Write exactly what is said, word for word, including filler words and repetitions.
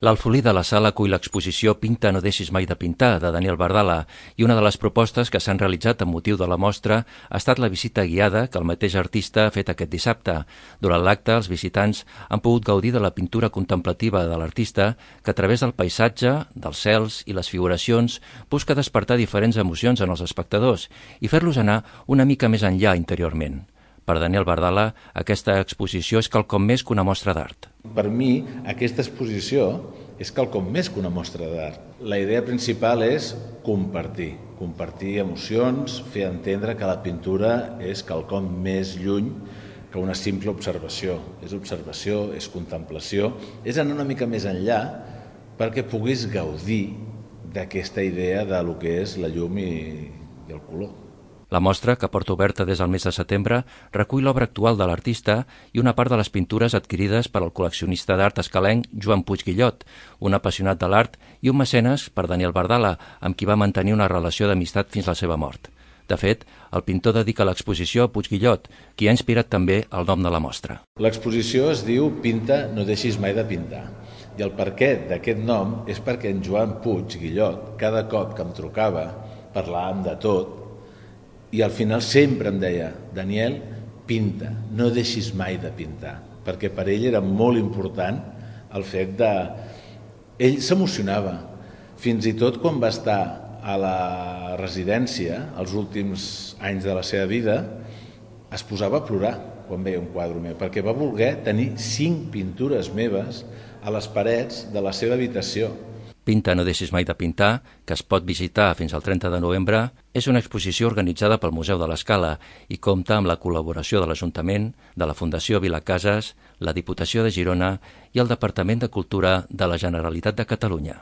L'Alfolí de la Sala acull l'exposició Pinta, no deixis mai de pintar, de Daniel Bardala, i una de les propostes que s'han realitzat amb motiu de la mostra ha estat la visita guiada que el mateix artista ha fet aquest dissabte. Durant l'acte, els visitants han pogut gaudir de la pintura contemplativa de l'artista que a través del paisatge, dels cels i les figuracions busca despertar diferents emocions en els espectadors i fer-los anar una mica més enllà interiorment. Per Daniel Bardala, aquesta exposició és quelcom més que una mostra d'art. Per mi, aquesta exposició és quelcom més que una mostra d'art. La idea principal és compartir, compartir emocions, fer entendre que la pintura és quelcom més lluny que una simple observació. És observació, és contemplació, és anar una mica més enllà perquè puguis gaudir d'aquesta idea de lo que és la llum i, i el color. La mostra, que porta oberta des del mes de setembre, recull l'obra actual de l'artista i una part de les pintures adquirides per al col·leccionista d'art escalenc Joan Puig Guillot, un apassionat de l'art i un mecenes per Daniel Bardala, amb qui va mantenir una relació d'amistat fins la seva mort. De fet, el pintor dedica l'exposició a Puig Guillot, qui ha inspirat també el nom de la mostra. L'exposició es diu Pinta, no deixis mai de pintar. I el perquè d'aquest nom és perquè en Joan Puig Guillot, cada cop que em trucava, parlàvem de tot, i al final sempre em deia: Daniel, pinta, no deixis mai de pintar, perquè per ell era molt important el fet de... Ell s'emocionava, fins i tot quan va estar a la residència, els últims anys de la seva vida, es posava a plorar quan veia un quadre meu, perquè va voler tenir cinc pintures meves a les parets de la seva habitació. Pinta, no deixis mai de pintar, que es pot visitar fins al trenta de novembre, és una exposició organitzada pel Museu de l'Escala i compta amb la col·laboració de l'Ajuntament, de la Fundació Vilacases, la Diputació de Girona i el Departament de Cultura de la Generalitat de Catalunya.